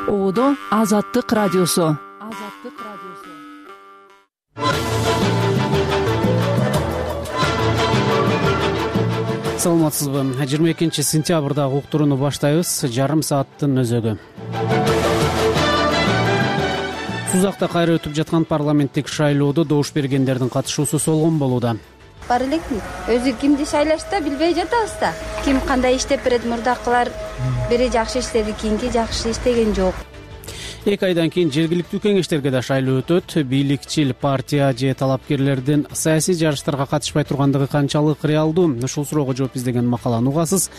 Оодо Азаттык радиосу. Саламатсызбы? 22 сентябрда уктурууну баштайбыз. Жарым сааттын өзөгү. Сузакта кайра өтүп жаткан парламенттик шайлоодо добуш бергендердин катышуусу солгон болууда. Бар элекми? Өзү кимди шайлашта билбей жатабыз да. Ким кандай иштеп берет, мурдакылар бири жакшы иштеди, кийинки жакшы иштеген жок. 2 айдан кийин жергиликтүү кеңештерге да шайлоо өтөт. Бийликчил партия же талапкерлердин саясий жарыштарга катышпай тургандыгы канчалык реалдуу? Ушул суроого жооп издеген макаланы угасыз.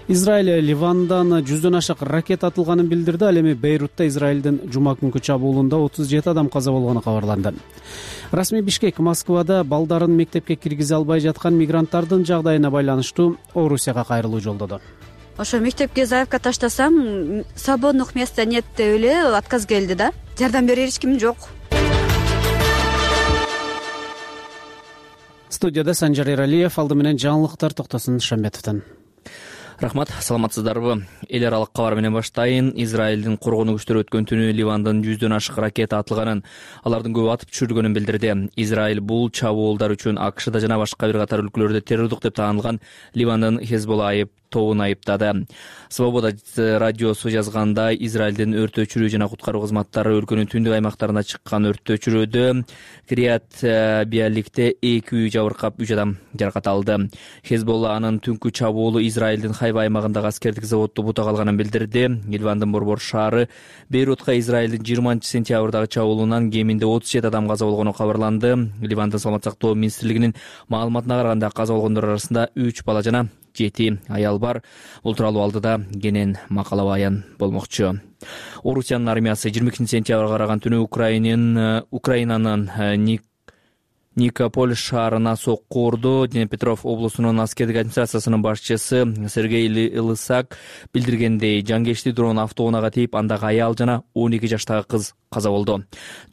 Израиль Ливандан 100дөн ашык ракета атылганын билдирди. Ал эми Бейрутта Израилдин жума күнкү чабуулунда 37 адам каза болгону кабарланды. Расмий Бишкек Москвада балдарын мектепке киргизе албай жаткан мигранттардын жагдайына байланыштуу Орусияга кайрылуу жолдоду. Ошо мектепке заявка таштасам, свободных места нет деп эле отказ келди да. Жардам берер эч ким жок. Студияда Санжар Эралиев, алды менен жаңылыктар Токтосун Шамбетовдон. Рахмат, саламатсыздарбы? Эл аралык кабар менен баштайын. Израилдин коргонуу күчтөрү өткөн түнү Ливандан 100дөн ашык ракета атылганын, алардын көбү атып түшүрүлгөнүн билдирди. Израиль бул чабуулдар үчүн АКШда жана башка бир катар өлкөлөрдө террордук деп таанылган Ливандын Хезболла тобун айыптады. Свобода радиосу жазгандай, Израилдин өрт өчүрүү жана куткаруу кызматтары өлкөнүн түндүк аймактарына чыккан өрттү өчүрүүдө Кирият Биаликте 2 үй жабыркап 3 адам жаракат алды. Хезболла анын түнкү чабуулу Израилдин Хайфа аймагындагы аскердик заводду бута калганын билдирди. Ливандын борбор шаары Бейрутка Израилдин 20 сентябрдагы чабуулунан кеминде 37 адам каза болгону кабарланды. Ливандын саламат сактоо министрлигинин маалыматына караганда каза болгондор арасында 3 бала жана 7 аял бар. Бул тууралуу алдыда кенен макала баян болмокчу. Орусиянын армиясы 22 сентябрга караган түнү Украинанын Никополь шаарына сокку урду. Днепропетровск облусунун аскердик администрациясынын башчысы Сергей Лысак билдиргендей, жангечти дрон автоунаага тийип, андагы аял жана 12 жаштагы кыз каза болду.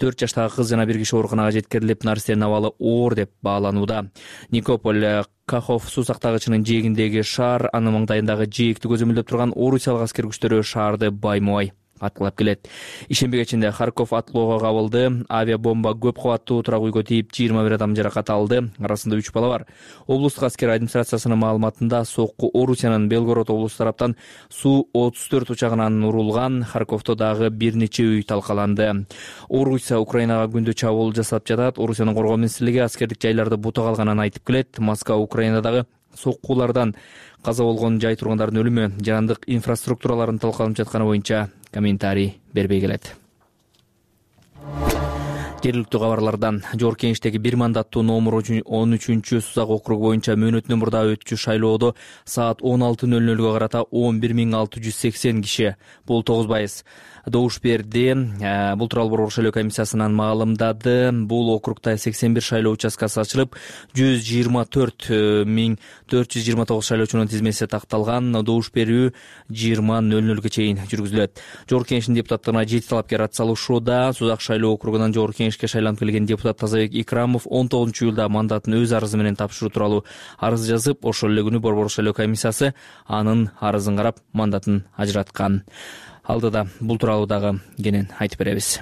4 жаштагы кыз жана бир киши ооруканага жеткирилип, наристердин абалы оор деп бааланууда. Никополь Кахов суу сактагычынын жээгиндеги шаар, анын маңдайындагы жээкти көзөмөлдөп турган орусиялык аскер күчтөрү шаарды баймубай аткылап келет. Ишембе кечинде Харьков атлоого кабылды. Авиабомба көп кабаттуу турак үйгө тийип 21 адам жаракат алды. Арасында 3 бала бар. Облустук аскер администрациясынын маалыматында сокку Орусиянын Белгород облусу тараптан Су-34 учагынан урулган. Харьковдо дагы бир нече үй талкаланды. Орусия Украинага күндө чабуул жасап жатат. Орусиянын коргоо министрлиги аскердик жайларды бута калганын айтып келет. Москва Украинадагы соккуулардан каза болгон жай тургандардын өлүмү, жаандык инфраструктураларын талкаланып жатканы боюнча комментарий бербей келет. Жергиликтүү кабарлардан жогорку кеңештеги бир мандаттуу номер 13 Сузак округу боюнча мөөнөтүнөн мурда өтчү шайлоодо саат 16:00 карата 11680 киши, бул 9% добуш берди. Бул тууралуу борбор шайлоо комиссиясынан маалымдады. Бул округда 81 шайлоо участкасы ачылып, 124.429 шайлоочунун тизмеси такталган. Добуш берүү 20:00 чейин жүргүзүлөт. Жогорку кеңештин депутаттарына 7 талапкер ат салышууда. Сузак шайлоо округунан жогорку кеңешке шайланып келген депутат Тазабек Икрамов 19-июлда мандатын өз арызы менен тапшыруу тууралуу арыз жазып, ошол эле күнү борбор шайлоо комиссиясы анын арызын карап мандатын ажыраткан. Алдыда бул тууралуу дагы кенен айтып беребиз.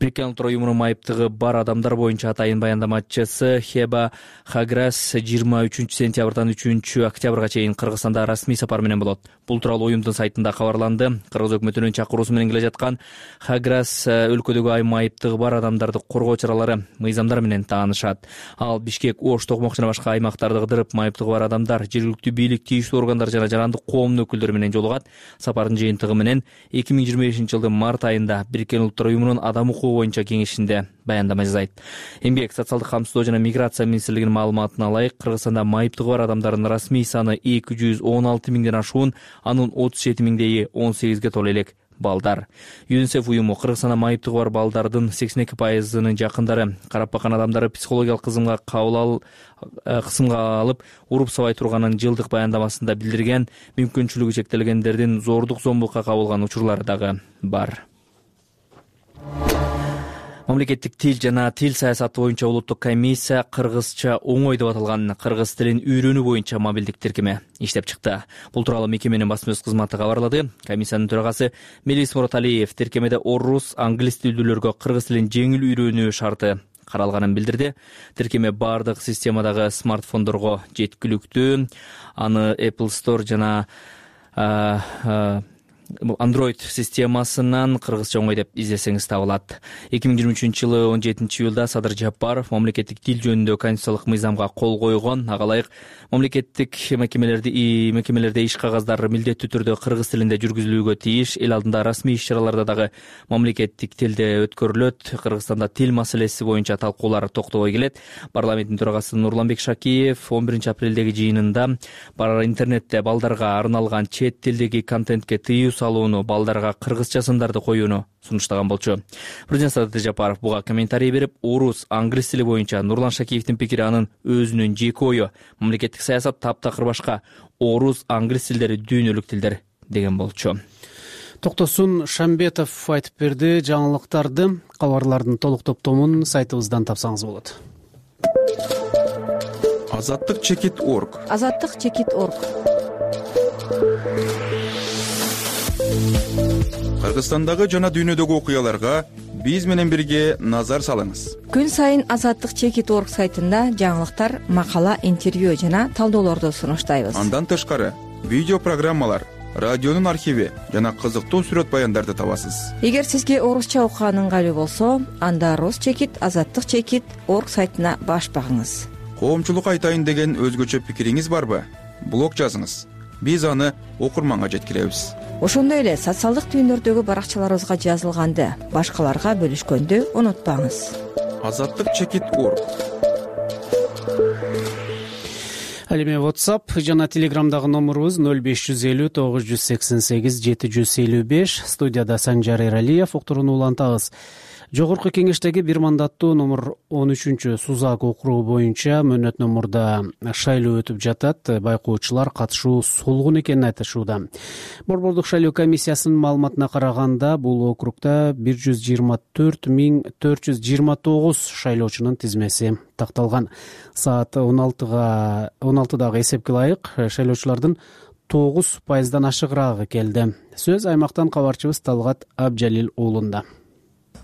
Бириккен Улуттар Уюмунун майыптыгы бар адамдар боюнча атайын баяндамачысы Хеба Хаграс 23 сентябрдан 3 октябрга чейин Кыргызстанда расмий сапар менен болот. Бул тууралуу уюмдун сайтында кабарланды. Кыргыз өкмөтүнүн чакыруусу менен келе жаткан Хаграс өлкөдөгү майыптыгы бар адамдарды коргоо чаралары, мыйзамдар менен таанышат. Ал Бишкек, Ош, Токмок жана башка аймактарды кыдырып, майыптыгы бар адамдар, жергиликтүү бийлик, тийиштүү органдар жана жарандык коомдун өкүлдөрү менен жолугат. Сапардын жыйынтыгы менен 2025-жылдын март айында Бириккен Улуттар Уюмунун адам укугу боюнча кеңешинде баяндама жасайт. Эмгек, социалдык камсыздоо жана миграция министрлигинин маалыматына ылайык, Кыргызстанда майыптыгы бар адамдардын расмий саны 216 миңден ашуун, анын 37 миңдеги 18ге толо элек балдар. ЮНИСЕФ уюму Кыргызстанда майыптыгы бар балдардын 82%-нын жакындары, карап баккан адамдары психологиялык кысымга алып, уруп сабай турганын жылдык баяндамасында билдирген. Мүмкүнчүлүгү чектелгендердин зордук зомбулукка кабылган учурлары дагы бар. Мамлекеттик тил жана тил саясаты боюнча улуттук комиссия кыргызча оңой деп аталган кыргыз тилин үйрөнүү боюнча мобилдик тиркеме иштеп чыкты. Бул тууралуу мекеменин басма сөз кызматы кабарлады. Комиссиянын төрагасы Мелис Мураталиев тиркемеде орус, англис тилдүүлөргө кыргыз тилин жеңил үйрөнүү шарты каралганын билдирди. Тиркеме бардык системадагы смартфондорго жеткиликтүү. Аны Apple Store жана Android системасынан кыргызча оңой деп издесеңиз табылат. 2023-жылы 17-июлда Садыр Жапаров мамлекеттик тил жөнүндө конституциялык мыйзамга кол койгон. Ага ылайык мамлекеттик мекемелерде иш кагаздары милдеттүү түрдө кыргыз тилинде жүргүзүлүүгө тийиш. Эл алдында расмий иш-чараларда дагы мамлекеттик тилде өткөрүлөт. Кыргызстанда тил маселеси боюнча талкуулар токтобой келет. Парламенттин төрагасы Нурланбек Шакиев 11-апрелдеги жыйынында интернетте балдарга арналган чет тилдеги контентке тыюу салууну, балдарга кыргызча сындарды коюуну сунуштаган болчу. Президент Садыр Жапаров буга комментарий берип, орус, англис тили боюнча Нурлан Шакиевдин пикири анын өзүнүн жеке ою. Мамлекеттик саясат таптакыр башка. Орус, англис тилдери дүйнөлүк тилдер деген болчу. Токтосун Шамбетов айтып берди. Жаңылыктарды, кабарлардын толук топтомун сайтыбыздан тапсаңыз болот. Азаттык-чекит.org. Азаттык-чекит.org. Кыргызстандагы жана дүйнөдөгү окуяларга биз менен бирге назар салыңыз. Күн сайын Азаттык-чекит.org сайтында жаңылыктар, макала, интервью жана талдоолорду сунуштайбыз. Андан тышкары видео программалар, радионун архиви жана кызыктуу сүрөт баяндарды табасыз. Эгер сизге орусча окуган ыңгайлуу болсо, анда Рус-чекит, Азаттык-чекит.org сайтына баш багыңыз. Коомчулук айтайын деген өзгөчө пикириңиз барбы? Блог жазыңыз. Биз аны окурманга жеткиребиз. Ошондой эле социалдык түйүндөрдөгү баракчаларыбызга жазылганды башкаларга бөлүшкөндү унутпаңыз. Азаттык-чекит.org. Ал эми WhatsApp жана Telegramдагы номурубуз 0550 988 755. Студияда Санжар Эралиев. Уктурууну улантабыз. Жогорку кеңештеги бир мандаттуу номер 13 Сузак округу боюнча мөөнөт номурда шайлоо өтүп жатат. Байкоочулар катышуу солгун экенин айтышууда. Борбордук шайлоо комиссиясынын маалыматына караганда, бул округда 124,429 шайлоочунун тизмеси такталган. Саат 16дагы эсепке ылайык шайлоочулардын 9% ашыгыраагы келди. Сөз аймактан кабарчыбыз Талгат Абжалил уулунда.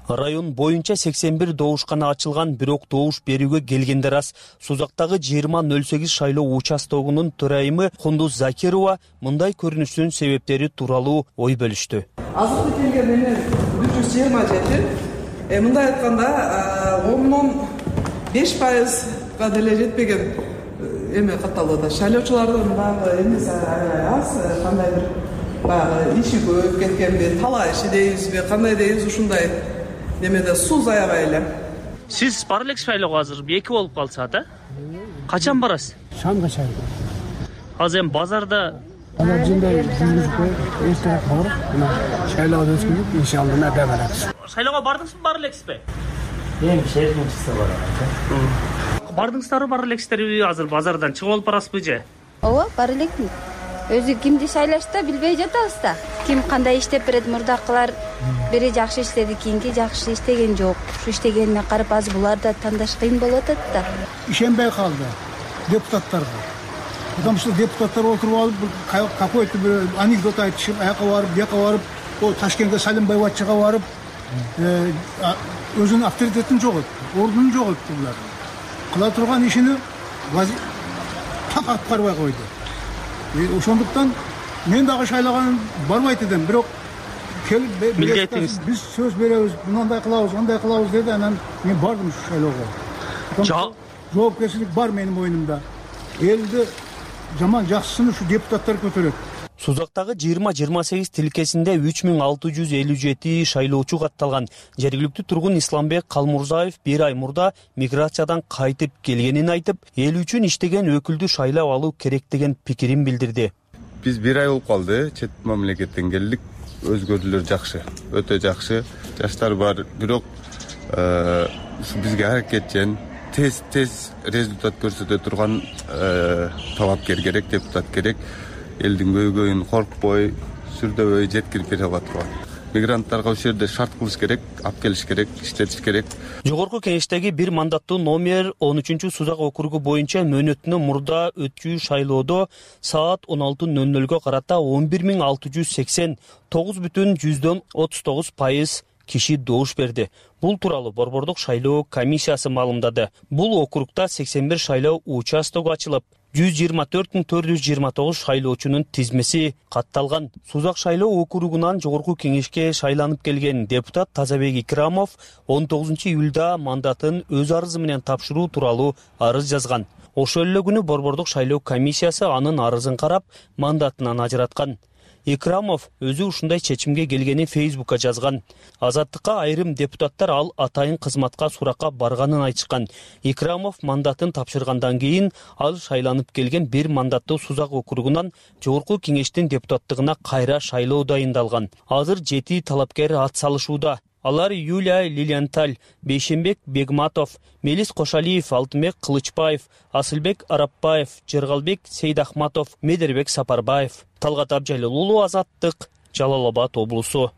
Район боюнча 81 добушкана ачылган, бирок добуш берүүгө келгендер аз. Сузактагы 2008 шайлоо участогунун төрайымы Кундуз Закирова мындай көрүнүштүн себептери тууралуу ой бөлүштү. Азыркы келген менен 127. Мындай айтканда 10-5%га деле жетпеген эме катталды. Шайлоочулардын багы эмеси аз, кандайдыр баягы иши көп кеткенби, талаа иши дейбизби, кандай дейбиз, ушундай немеде сууз аябай эле. Сиз бара элексиз шайлоого азыр 2 болуп калса да? Качан барасыз? Шамга шайлоо. Азыр эми базарда жындай жүргүзүп эстеп барып, мына шайлоо өткөрүп, иншалла нада барабыз. Шайлоого бардыңызбы, бара элексизби? Эми шештен чыкса барам. Бардыңыздарбы, бара элексиздерби? Азыр базардан чыгып алып барасызбы же? Ооба, бара элекмин. Өзү кимди шайлашта билбей жатабыз да. Ким кандай иштеп берет, мурдакылар бири жакшы иштеди, кийинки жакшы иштеген жок. Ушу иштегенине карап азыр буларды тандаш кыйын болуп атат да. Ишенбей калды депутаттарга. Потому что депутаттар отуруп алып, какой-то бир анекдот айтышып, аяка барып, бияка барып, о Ташкентке Салимбаеваччыга барып, өзүнүн авторитетин жогот, ордунун жоготту булар. Кыла турган ишини так аткарбай койду. Ошондуктан мен дагы шайлаган барбайт эдим, бирок келип биз сөз беребиз, мындай кылабыз, андай кылабыз деди. Анан мен бардым ушу шайлоого. Жоопкерчилик бар менин мойнумда. Элди жаман жакшысын ушу депутаттар көтөрөт. Сузактагы 20-28 тилкесинде 3657 шайлоочу катталган. Жергиликтүү тургун Исламбек Калмурзаев 1 ай мурда миграциядан кайтып келгенин айтып, эл үчүн иштеген өкүлдү шайлап алуу керек деген пикирин билдирди. Биз 1 ай болуп калды, чет мамлекеттен келдик. Өзгөрүүлөр жакшы, өтө жакшы. Жаштар бар, бирок бизге аракетчен тез результат көрсөтө турган талапкер керек, депутат керек. Элдин көйгөйүн коркпой, сүрдөбөй жеткирип бере алат турган. мигранттарга ошол жерде шарт кылыш керек, алып келиш керек, иштетиш керек. Жогорку кеңештеги бир мандаттуу номер 13-сузак округу боюнча мөөнөтүнөн мурда өтчү шайлоодо саат 16:00 карата 11.689,39% киши добуш берди. Бул тууралуу Борбордук шайлоо комиссиясы маалымдады. Бул округда 81 шайлоо участогу ачылып, 124.429 шайлоочунун тизмеси катталган. Сузак шайлоо округунан жогорку кеңешке шайланып келген депутат Тазабек Икрамов 19 июлда мандатын өз арызы менен тапшыруу тууралуу арыз жазган. Ошол эле күнү Борбордук шайлоо комиссиясы анын арызын карап, мандатынан ажыраткан. Икрамов өзү ушундай чечимге келгенин Фейсбукка жазган. Азаттыкка айрым депутаттар ал атайын кызматка суракка барганын айтышкан. Икрамов мандатын тапшыргандан кийин ал шайланып келген бир мандаттуу Сузак округунан жогорку кеңештин депутаттыгына кайра шайлоо дайындалган. Азыр 7 талапкер ат салышууда. Алар Юлия Лилианталь, Бейшенбек Бегматов, Мелис Кошалиев, Алтынбек Кылычбаев, Асылбек Арапбаев, Жергалбек Сейдахматов, Медербек Сапарбаев. Талгат Абжалил, Азаттык, Жалал Абад облусу.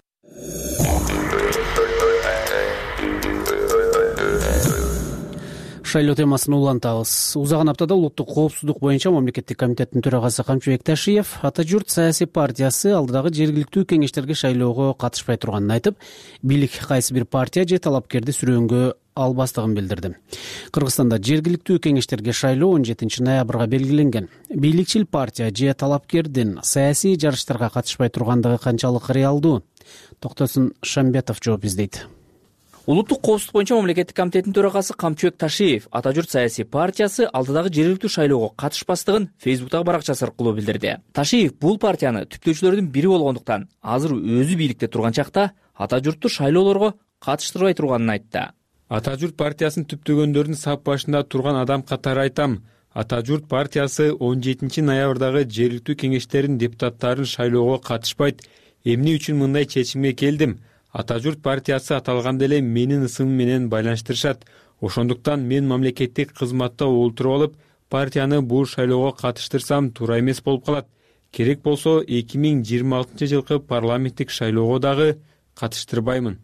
Шайлоо темасын улантабыз. Узаган аптада улуттук коопсуздук боюнча мамлекеттик комитеттин төрагасы Камчыбек Ташиев Ата журт саясий партиясы алдыдагы жергиликтүү кеңештерге шайлоого катышпай турганын айтып, бийлик кайсы бир партия же талапкерди сүрөөнгө албастыгын билдирди. Кыргызстанда жергиликтүү кеңештерге шайлоо 17 ноябрга белгиленген. Бийликчил партия же талапкердин саясий жарыштарга катышпай тургандыгы канчалык реалдуу? Токтосун Шамбетов жооп издейт. Улуттук коопсуздук боюнча мамлекеттик комитеттин төрагасы Камчыбек Ташиев Ата журт саясий партиясы алдыдагы жергиликтүү шайлоого катышпастыгын Фейсбуктагы баракчасы аркылуу билдирди. Ташиев бул партияны түптөөчүлөрдүн бири болгондуктан азыр өзү бийликте турган чакта Ата журтту шайлоолорго катыштырбай турганын айтты. Ата журт партиясын түптөгөндөрдүн сап башында турган адам катары айтам. Ата журт партиясы 17 ноябрдагы жергиликтүү кеңештердин депутаттарын шайлоого катышпайт. Эмне үчүн мындай чечимге келдим? Ата журт партиясы аталганда эле менин ысымым менен байланыштырышат. Ошондуктан мен мамлекеттик кызматта олтуруп алып, партияны бул шайлоого катыштырсам туура эмес болуп калат. Керек болсо 2026 жылкы парламенттик шайлоого дагы катыштырбаймын.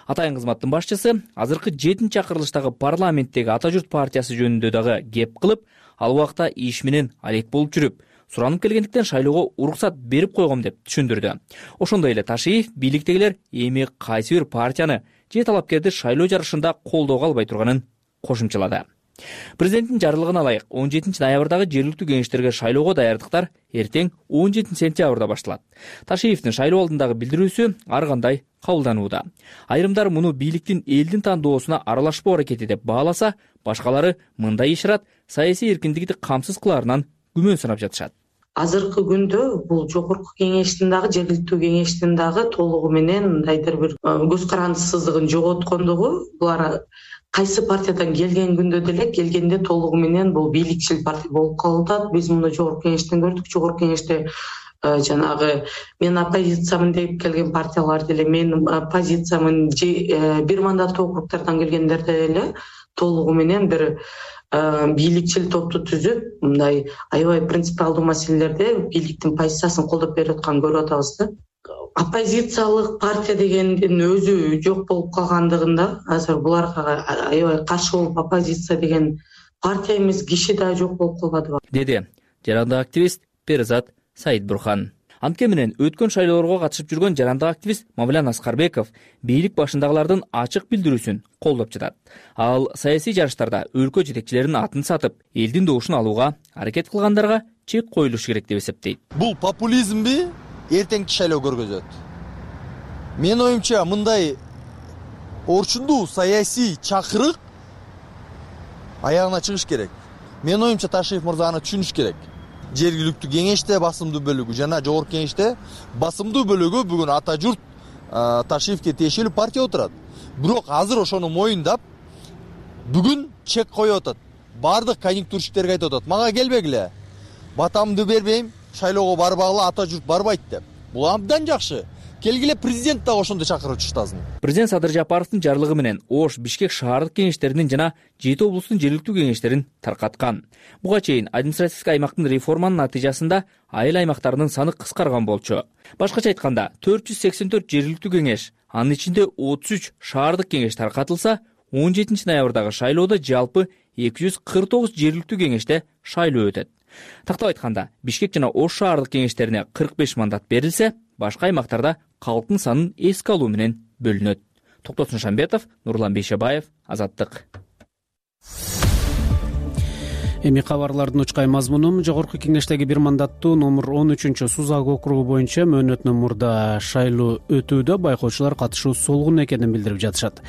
Атайын кызматтын башчысы азыркы 7-чакырылыштагы парламенттеги Ата журт партиясы жөнүндө дагы кеп кылып, ал убакта иш менен алек болуп жүрүп, суранып келгендиктен шайлоого уруксат берип койгом деп түшүндүрдү. Ошондой эле Ташиев бийликтегилер эми кайсы бир партияны же талапкерди шайлоо жарышында колдоого албай турганын кошумчалады. Президенттин жарлыгына ылайык 17 ноябрдагы жергиликтүү кеңештерге шайлоого даярдыктар эртең 17 сентябрда башталат. Ташиевдин шайлоо алдындагы билдирүүсү ар кандай кабылданууда. Айрымдар муну бийликтин элдин тандоосуна аралашпоо аракети деп бааласа, башкалары мындай ишарат саясий эркиндикти камсыз кылаарынан күмөн санап жатышат. Азыркы күндө бул жогорку кеңештин дагы жергиликтүү кеңештин дагы толугу менен мындайдыр бир көз карандысыздыгын жоготкондугу, булар кайсы партиядан келген күндө деле келгенде толугу менен бул бийликчил партия болуп калып атат. Биз муну жогорку кеңештен көрдүк. Жогорку кеңеште жанагы мен оппозициямын деп келген партиялар деле менин позициямын же бир мандаттуу округдардан келгендерде деле толугу менен бир бийликчил топту түзүп, мындай аябай принципиалдуу маселелерде бийликтин позициясын колдоп берип атканын көрүп атабыз да. Оппозициялык партия дегендин өзү жок болуп калгандыгында азыр буларга аябай каршы болуп оппозиция деген партия эмес киши да жок болуп калбадыбы, деди жарандык активист Перизат Саидбурхан. Антке менен өткөн шайлоолорго катышып жүргөн жарандык активист Мавлян Аскарбеков бийлик башындагылардын ачык билдирүүсүн колдоп жатат. Ал саясий жарыштарда өлкө жетекчилеринин атын сатып, элдин добушун алууга аракет кылгандарга чек коюлуш керек деп эсептейт. Бул популизмби эртеңки шайлоо көргөзөт. Менин оюмча мындай орчундуу саясий чакырык аягына чыгыш керек. Менин оюмча Ташиев мырза аны түшүнүш керек. Жергиликтүү кеңеште басымдуу бөлүгү жана жогорку кеңеште басымдуу бөлүгү бүгүн Ата журт Ташиевке тиешелүү партия отурат. Бирок азыр ошону моюндап бүгүн чек коюп атат. Бардык конъюнктурщиктерге айтып атат: "Мага келбегиле. Батамды бербейм, шайлоого барбагыла, Ата журт барбайт" деп. Бул абдан жакшы. Келгиле президент дагы ошондой чакыруу чыштасын. Президент Садыр Жапаровдун жарлыгы менен Ош, Бишкек шаардык кеңештеринин жана 7 облустун жергиликтүү кеңештерин таркаткан. Буга чейин административдик аймактын реформанын натыйжасында айыл аймактарынын саны кыскарган болчу. Башкача айтканда 484 жергиликтүү кеңеш, анын ичинде 33 шаардык кеңеш таркатылса, 17 ноябрдагы шайлоодо жалпы 249 жергиликтүү кеңеште шайлоо өтөт. Тактап айтканда, Бишкек жана Ош шаардык кеңештерине 45 мандат берилсе, башка аймактарда калктын санын эске алуу менен бөлүнөт. Токтосун Шамбетов, Нурлан Бейшебаев, Азаттык. Эми кабарлардын учкай мазмуну: жогорку кеңештеги бир мандаттуу номер 13 Сузак округу боюнча мөөнөтүнөн мурда шайлоо өтүүдө байкоочулар катышуу солгун экенин билдирип жатышат.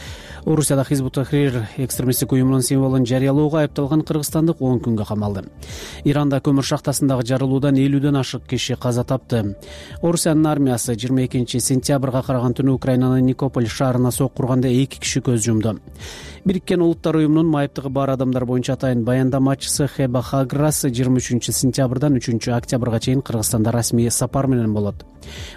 Орусияда Хизбут Тахрир экстремисттик уюмунун символун жарыялоого айыпталган кыргызстандык 10 күнгө камалды. Иранда көмүр шахтасындагы жарылуудан 50ден ашык киши каза тапты. Орусиянын армиясы 22 сентябрга караган түнү Украинанын Никополь шаарына соккурганда 2 киши көз жумду. Бириккен Улуттар уюмунун майыптыгы бар адамдар боюнча атайын баяндамачысы Хеба Хаграс 23 сентябрдан 3 октябрга чейин Кыргызстанда расмий сапар менен болот.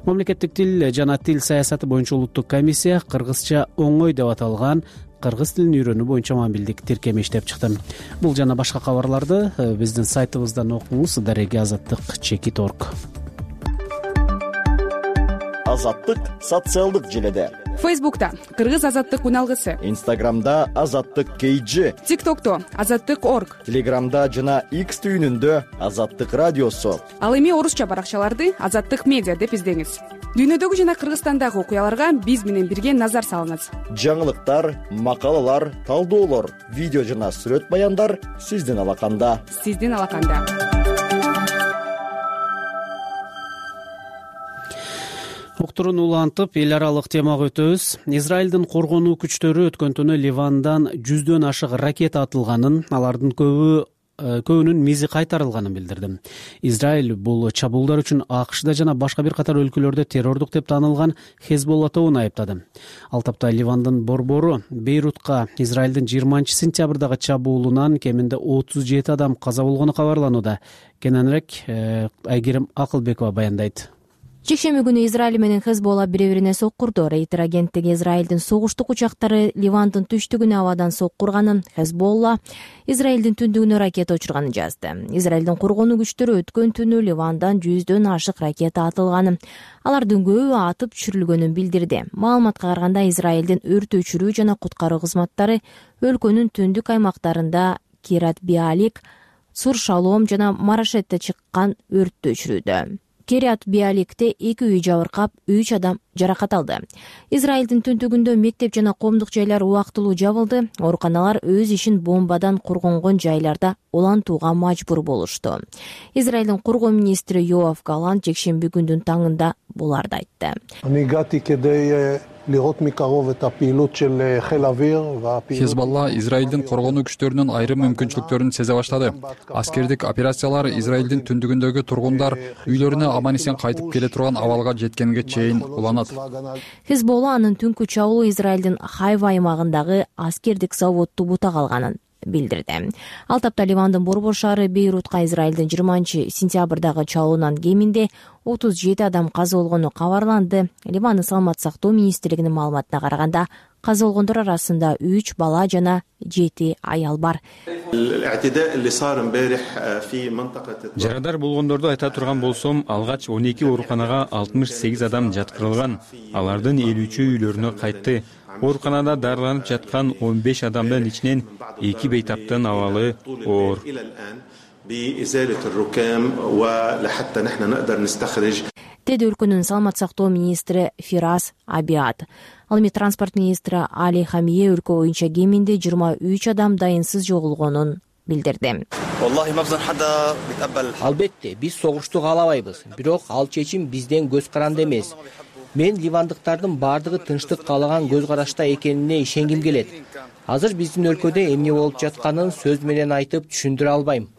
Мамлекеттик тил жана тил саясаты боюнча улуттук комиссия кыргызча оңой деп аталган кыргыз тилин үйрөнүү боюнча мамилдик тиркеме иштеп чыкты. Бул жана башка кабарларды биздин сайтыбыздан окуңуз. @azattik.org. Азаттык социалдык желеде. Фейсбукта Кыргыз азаттык уналгысы, Инстаграмда Азаттык KG, ТикТокто Азаттык.org, Телеграмда жана X түйүнүндө Азаттык радиосу. Ал эми орусча баракчаларды Азаттык медиа деп издеңиз. Дүйнөдөгү жана Кыргызстандагы окуяларга биз менен бирге назар салыңыз. Жаңылыктар, макалалар, талдоолор, видео жана сүрөт баяндар сиздин алаканда. Уктурууну улантып, эл аралык темага өтөбүз. Израилдин коргонуу күчтөрү өткөн түнү Ливандан 100дөн ашык ракета атылганын, алардын көбүнүн мизи кайтарылганын билдирди. Израиль бул чабуулдар үчүн АКШда жана башка бир катар өлкөлөрдө террордук деп таанылган Хезболла тобун айыптады. Ал тапта Ливандын борбору Бейрутка Израилдин 20 сентябрдагы чабуулунан кеминде 37 адам каза болгону кабарланууда. Кененирээк Айгерим Акылбекова баяндайт. Жекшемби күнү Израиль менен Хезболла бири-бирине соккурду. Рейтер агенттиги Израилдин согуштук учактары Ливандын түштүгүнө абадан соккурганын, Хезболла Израилдин түндүгүнө ракета учурганын жазды. Израилдин коргонуу күчтөрү өткөн түнү Ливандан 100дөн ашык ракета атылганын, алардын көбү атып түшүрүлгөнүн билдирди. Маалыматка караганда Израилдин өрт өчүрүү жана куткаруу кызматтары өлкөнүн түндүк аймактарында Кират Биалик, Сур Шалом жана Марашетте чыккан өрттү өчүрүүдө. Кирят Биаликте 2 үй жабыркап, 3 адам жаракат алды. Израилдин түндүгүндө мектеп жана коомдук жайлар убактылуу жабылды. Ооруканалар өз ишин бомбадан коргонгон жайларда улантууга мажбур болушту. Израилдин коргоо министри Йоав Галант жекшемби күндүн таңында буларды айтты. Хезболла Израилдин коргонуу күчтөрүнүн айрым мүмкүнчүлүктөрүн сезе баштады. Аскердик операциялар Израилдин түндүгүндөгү тургундар үйлөрүнө аман-эсен кайтып келе турган абалга жеткенге чейин уланат. Хезболла анын түнкү чабуулу Израилдин Хайва аймагындагы аскердик заводду бутак алганын билдирди. Ал тапта Ливандын борбор шаары Бейрутка Израилдин 20 сентябрдагы чабуулунан кеминде 37 адам каза болгону кабарланды. Ливандын саламаттык сактоо министрлигинин маалыматына караганда, каза болгондор арасында 3 бала жана 7 аял бар. Жарадар болгондорду айта турган болсом, алгач 12 ооруканага 68 адам жаткырылган. Алардын 53-ü үйлөрүнө кайтты. Ооруканада дарыланып жаткан 15 адамдын ичинен 2 бейтаптын абалы оор. Деди өлкөнүн саламаттык сактоо министри Фирас Абиад. Ал эми транспорт министри Али Хамие өлкө боюнча кеминде 23 адам дайынсыз жоголгонун билдирди. Албетте, биз согушту каалабайбыз, бирок ал чечим бизден көз каранды эмес. Мен ливандыктардын бардыгы тынчтык каалаган көз карашта экенине ишенгим келет. Азыр биздин өлкөдө эмне болуп жатканын сөз менен айтып түшүндүрө албайм.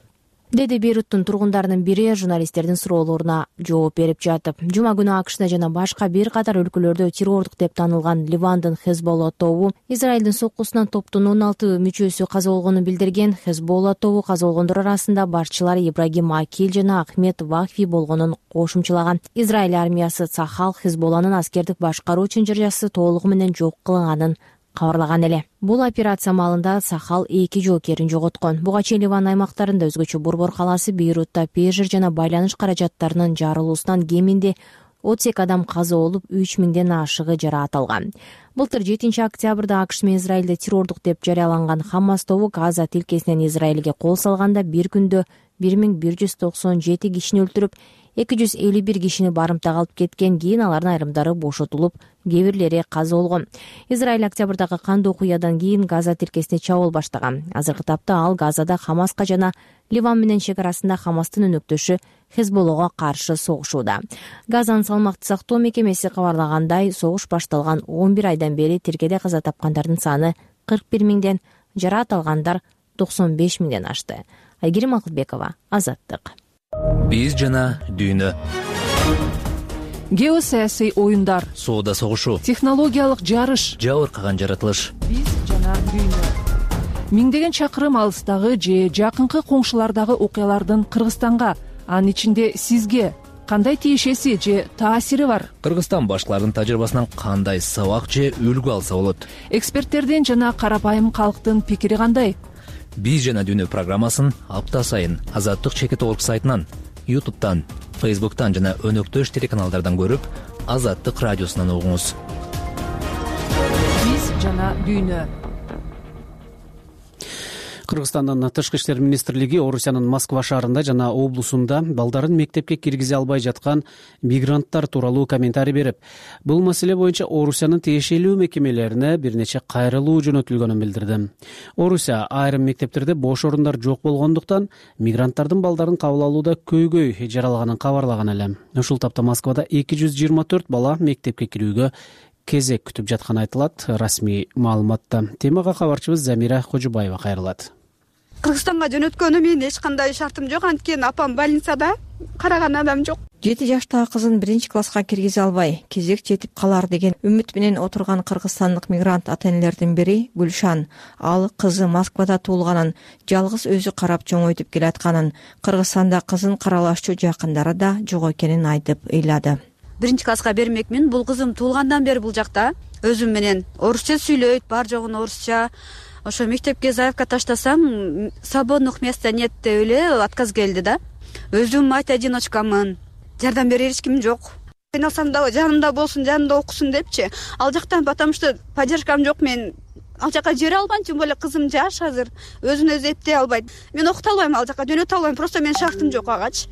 Деди Бейруттун тургундарынын бири журналисттердин суроолоруна жооп берип жатып. Жума күнү АКШда жана башка бир катар өлкөлөрдө террордук деп таанылган Ливандын Хезболла тобу Израилдин соккусунан топтун 16 мүчөсү каза болгонун билдирген. Хезболла тобу каза болгондор арасында башчылар Ибрагим Акил жана Ахмед Вахфи болгонун кошумчулаган. Израиль армиясы Цахал Хезболланын аскердик башкаруу чынжыржасы толугу менен жок кылынганын кабарлаган эле. Бул операция маалында Сахал 2 жоокерин жоготкон. Буга чейин Ливан аймактарында өзгөчө борбор калаасы Бейрутта пежир жана байланыш каражаттарынын жарылуусунан кеминде 32 адам каза болуп, 3000ден ашыгы жараат алган. Былтыр 7 октябрда АКШ менен Израилде террордук деп жарыяланган Хамас тобу Газа тилкесинен Израилге кол салганда бир күндө 1197 кишини өлтүрүп, 251 кишини барымтага алып кеткен. Кийин алардын айрымдары бошотулуп, кээ бирлери каза болгон. Израиль октябрдагы кандуу окуядан кийин Газа тилкесине чабуул баштаган. Азыркы тапта ал Газада Хамаска жана Ливан менен чек арасында Хамастын өнөктөшү Хезболлого каршы согушууда. Газанын салмакты сактоо мекемеси кабарлагандай, согуш башталган 11 айдан бери тиркеде каза тапкандардын саны 41 миңден, жараат алгандар 95 миңден ашты. Айгерим Акылбекова, Азаттык. Биз жана дүйнө. Геосаясий оюндар, соода согушу, технологиялык жарыш, жабыркаган жаратылыш. Биз жана дүйнө. Миңдеген чакырым алыстагы же жакынкы коңшулардагы окуялардын Кыргызстанга, анын ичинде сизге кандай тиешеси же таасири бар? Кыргызстан башкалардын тажрыйбасынан кандай сабак же үлгү алса болот? Эксперттердин жана карапайым калктын пикири кандай? Биз жана дүйнө программасын апта сайын Азаттык чекит орг сайтынан, YouTube'тан, Facebook'тан жана өнөктөш телеканалдардан көрүп, Азаттык радиосунан угуңуз. Биз жана дүйнө. Кыргызстандын Тышкы иштер министрлиги Орусиянын Москва шаарында жана облусунда балдарын мектепке киргизе албай жаткан мигранттар тууралуу комментарий берип, бул маселе боюнча Орусиянын тиешелүү мекемелерине бир нече кайрылуу жөнөтүлгөнүн билдирди. Орусия айрым мектептерде бош орундар жок болгондуктан мигранттардын балдарын кабыл алууда көйгөй жаралганын кабарлаган эле. Ушул тапта Москвада 224 бала мектепке кирүүгө кезек күтүп жатканы айтылат. Расмий маалыматта. Темага кабарчыбыз Замира Кожубаева кайрылат. Кыргызстанга жөнөткөнүм менин эч кандай шартым жок, анткени апам больницада, караган адам жок. 7 жаштагы кызын 1-класска киргизе албай, кезек жетип калар деген үмүт менен отурган кыргызстандык мигрант ата-энелердин бири Гүлшан. Ал кызы Москвада туулганын, жалгыз өзү карап чоңойтуп келатканын, Кыргызстанда кызын каралашчу жакындары да жок экенин айтып ыйлады. 1-класска бермекмин. Бул кызым туулгандан бери бул жакта өзүм менен орусча сүйлөйт, бар жогун орусча. Ошо мектепке заявка таштасам, свободных места нет деп эле отказ келди да. Өзүм мать-одиночкамын. Жардам берер эч ким жок. Кыйналсам да жанымда болсун, жанымда окусун депчи. Ал жактан потому что поддержкам жок, мен ал жака жибере албайм, тем более кызым жаш азыр, өзүн өзү эптей албайт. Мен окута албайм, ал жака жөнөтө албайм, просто менин шартым жок агачы.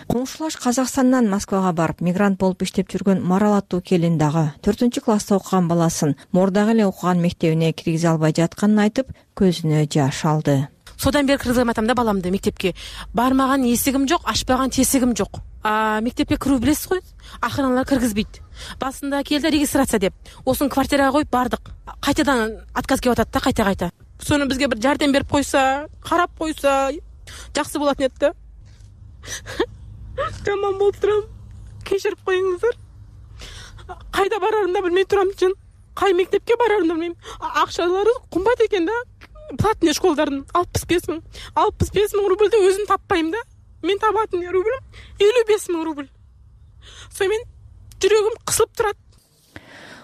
Коңшулаш Казакстандан Москвага барып, мигрант болуп иштеп жүргөн Марал аттуу келин дагы 4-класста окуган баласын мурдагы эле окуган мектебине киргизе албай жатканын айтып, көзүнө жаш алды. Содан бери кыргызым айтам да баламды мектепке. Бармаган эсигим жок, ачпаган тесигим жок. Мектепке кирүү билесиз го, акыралар киргизбейт. Басында келди регистрация деп. Осын квартирага коюп бардык. Кайтадан отказ келип атат да, кайта. Сону бизге бир жардам берип койсо, карап койсо, жакшы болот эле да. Жаман болуп турам. Кечирип коюңуздар. Кайда барарымды билбей турам чын. Кай мектепке барарымды билбейм. Акчалары кымбат экен да. Платный школдардын 65 миң. 65 миң рубльди өзүм таппайм да. Мен табатын рубль 55 миң рубль. Сонымен жүрөгүм кысылып турат.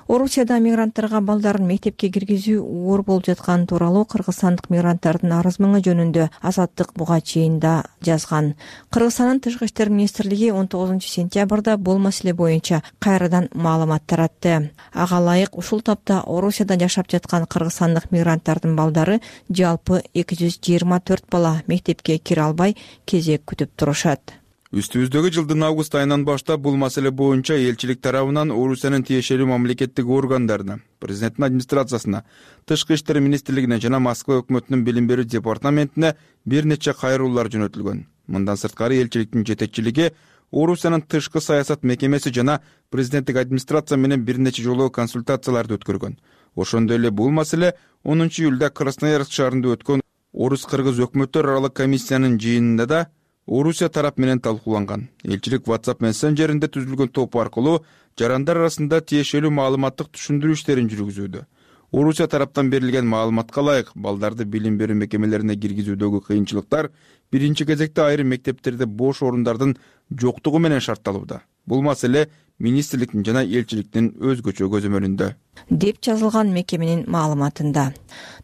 Орусияда мигранттарга балдарын мектепке киргизүү оор болуп жатканы тууралуу кыргызстандык мигранттардын арыз мыңы жөнүндө Азаттык буга чейин да жазган. Кыргызстандын Тышкы иштер министрлиги 19-сентябрда бул маселе боюнча кайрадан маалымат таратты. Ага ылайык ушул тапта Орусияда жашап жаткан кыргызстандык мигранттардын балдары жалпы 224 бала мектепке кире албай кезек күтүп турушат. Үстүбүздөгү жылдын август айынан баштап бул маселе боюнча элчилик тарабынан Орусиянын тиешелүү мамлекеттик органдарына, президенттин администрациясына, Тышкы иштер министрлигине жана Москва өкмөтүнүн билим берүү департаментине бир нече кайрылуулар жөнөтүлгөн. Мындан сырткары элчиликтин жетекчилиги Орусиянын тышкы саясат мекемеси жана президенттик администрация менен бир нече жолу консультацияларды өткөргөн. Ошондой эле бул маселе 10 июлда Красноярск шаарында өткөн Орус-кыргыз өкмөттөр аралык комиссиянын жыйынында да Орусия тарап менен талкууланган. Элчилик WhatsApp мессенджеринде түзүлгөн топ аркылуу жарандар арасында тиешелүү маалыматтык түшүндүрүү иштерин жүргүзүүдө. Орусия тараптан берилген маалыматка ылайык балдарды билим берүү мекемелерине киргизүүдөгү кыйынчылыктар биринчи кезекте айрым мектептерде бош орундардын жоктугу менен шартталууда. Бул маселе министрликтин жана элчиликтин өзгөчө көзөмөлүндө. деп жазылган мекеменин маалыматында.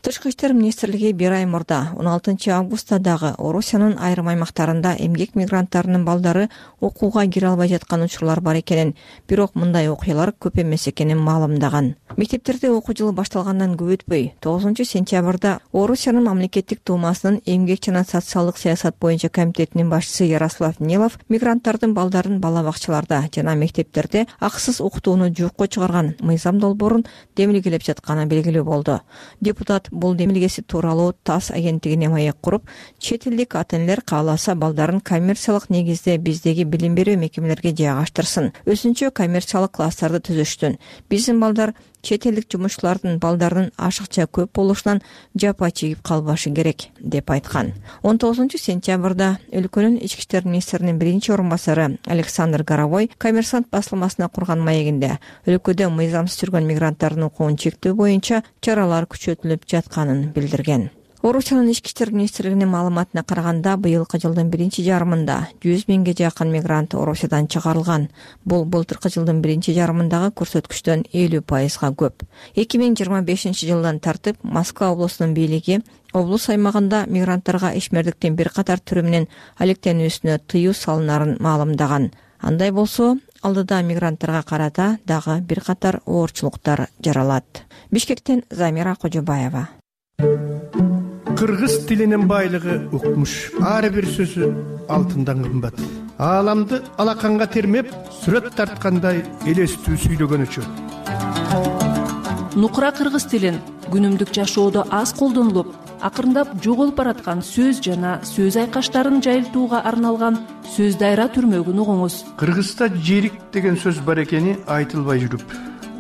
Тышкы иштер министрлиги бир ай мурда 16 августта дагы Орусиянын айрым аймактарында эмгек мигранттарынын балдары окууга кире албай жаткан учурлар бар экенин, бирок мындай окуялар көп эмес экенин маалымдаган. Мектептерде окуу жылы башталгандан көп өтпөй 9 сентябрда Орусиянын мамлекеттик думасынын эмгек жана социалдык саясат боюнча комитетинин башчысы Ярослав Нилов мигранттардын балдарын бала бакчаларда жана мектептерде акысыз окутууну жокко чыгарган мыйзам долбоорун демилгелеп жатканы белгилүү болду. Депутат бул демилгеси тууралуу ТАСС агенттигине маек куруп, чет элдик ата-энелер кааласа балдарын коммерциялык негизде биздеги билим берүү мекемелерге жайгаштырсын, өзүнчө коммерциялык класстарды түзүштүн. Биздин балдар чет элдик жумушчулардын балдарынын ашыкча көп болушунан жапа чегип калбашы керек деп айткан. 19 сентябрда өлкөнүн ички иштер министринин биринчи орун басары Александр Горовой Коммерсант басылмасына курган маегинде өлкөдө мыйзамсыз жүргөн мигранттардын укугун чектөө боюнча чаралар күчөтүлүп жатканын билдирген. Орусиянын ички иштер министрлигинин маалыматына караганда, быйылкы жылдын биринчи жарымында 100 миңге жакын мигрант Орусиядан чыгарылган. Бул былтыркы жылдын биринчи жарымындагы көрсөткүчтөн 50%га көп. 2025 жылдан тартып Москва облусунун бийлиги облус аймагында мигранттарга ишмердиктин бир катар түрү менен алектенүүсүнө тыюу салынарын маалымдаган. Андай болсо, алдыда мигранттарга карата дагы бир катар оорчулуктар жаралат. Бишкектен Замира Кожобаева. Кыргыз тилинин байлыгы укмуш. Ар бир сөзү алтындан кымбат. Ааламды алаканга термеп, сүрөт тарткандай элестүү сүйлөгөн үчүн. Нукура кыргыз тилин күнүмдүк жашоодо аз колдонулуп, акырындап жоголуп бараткан сөз жана сөз айкаштарын жайылтууга арналган сөз дайра түрмөгүн угуңуз. Кыргызда жерик деген сөз бар экени айтылбай жүрүп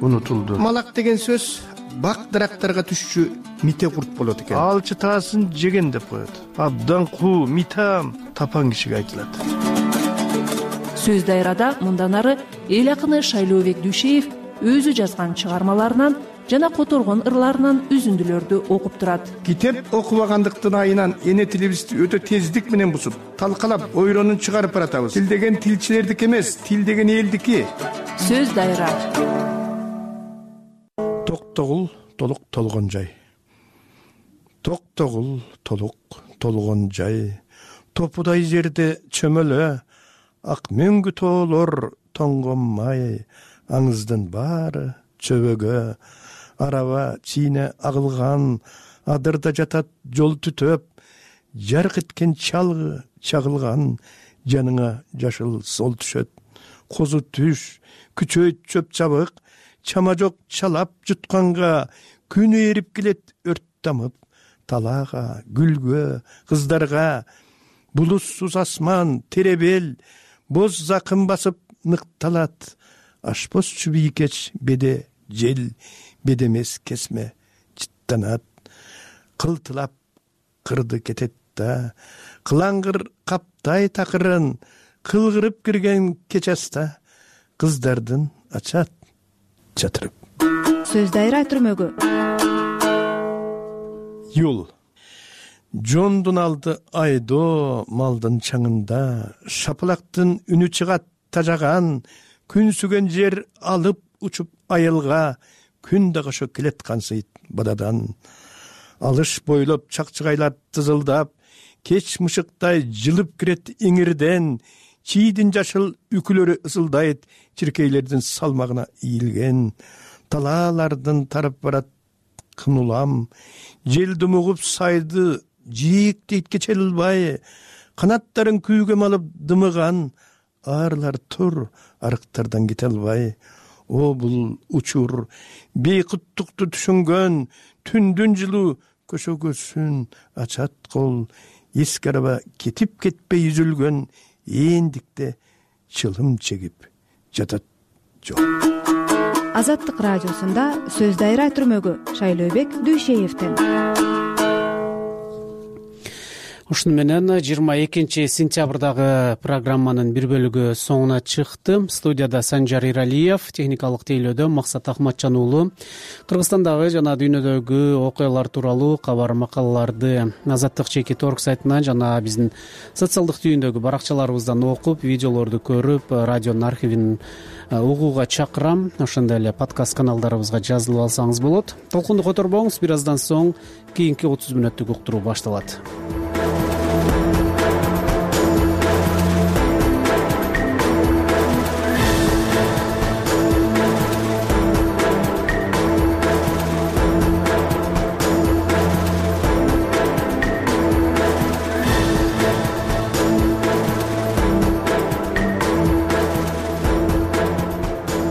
унутулду. Малак деген сөз бак дарактарга түшчү мите курт болот экен. Ал чытаасын жеген деп коет. Абдан куу, митам тапан кишиге айтылат. Сөз дайрада мындан ары эл акыны Шайлообек Дүйшеев өзү жазган чыгармаларынан жана которгон ырларынан үзүндүлөрдү окуп турат. Китеп окубагандыктын айынан эне тилибизди өтө тездик менен бузуп, талкалап, ойронун чыгарып баратабыз. Тил деген тилчилердики эмес, тил деген элдики. Сөз дайра. Токтогул толук толгон жай. Токтогул толук толгон жай. Топудай жерде чөмөлө, ак мөңгү тоолор тоңгонмай, аңыздын баары чөбөгө, араба чийне агылган, адырда жатат жол түтөп, жарк эткен чалгы чагылган, жаныңа жашыл сол түшөт. Козу түш, күчөйт чөп чабык, чама жок чалап жутканга, күнү эрип келет өрт дамып, талаага, гүлгө, кыздарга, булуссуз асман, теребел, боз закын басып ныкталат, ашпоз чүбийкеч беде жел, бедемес кесме чыттанат, кылтылап кырды кетет да, кылаңгыр каптай такырын, кылгырып кирген кеч аста, кыздардын ачат чатырып. Сөз дайра түрмөгү. Юл. Жондун алды айдоо малдын чаңында, шапалактын үнү чыгат тажаган, күн сүгөн жер алып учуп айылга, күн да кошо келет кансыйт бададан. Алыш бойлоп чакчыгайлар тызылдап, кеч мышыктай жылып кирет иңирден, чийдин жашыл үкүлөрү ысылдайт чиркейлердин салмагына ийилген. Талаалардын тарап барат кын улам, жел думугуп сайды жийиктейт кече ылбай, канаттарын күйгө малып дымыган, арлар тур арыктардан кете албай. О бул учур бейкуттукту түшүнгөн, түндүн жылуу көшөгөсүн ачат кол, эски араба кетип кетпей үзүлгөн, эндикте чылым чегип жатат жол. Азаттык радиосунда сөз дайра түрмөгү Шайлообек Дүйшеевден. ушуну менен 22 сентябрдагы программанын бир бөлүгү соңуна чыкты. Студияда Санжар Иралиев, техникалык тейлөөдө Максат Ахматжан уулу. Кыргызстандагы жана дүйнөдөгү окуялар тууралуу кабар макалаларды Азаттык чекит орг сайтынан жана биздин социалдык түйүндөгү баракчаларыбыздан окуп, видеолорду көрүп, радионун архивин угууга чакырам. Ошондой эле подкаст каналдарыбызга жазылып алсаңыз болот. Толкунду которбоңуз, бир аздан соң кийинки 30 мүнөттүк уктуруу башталат.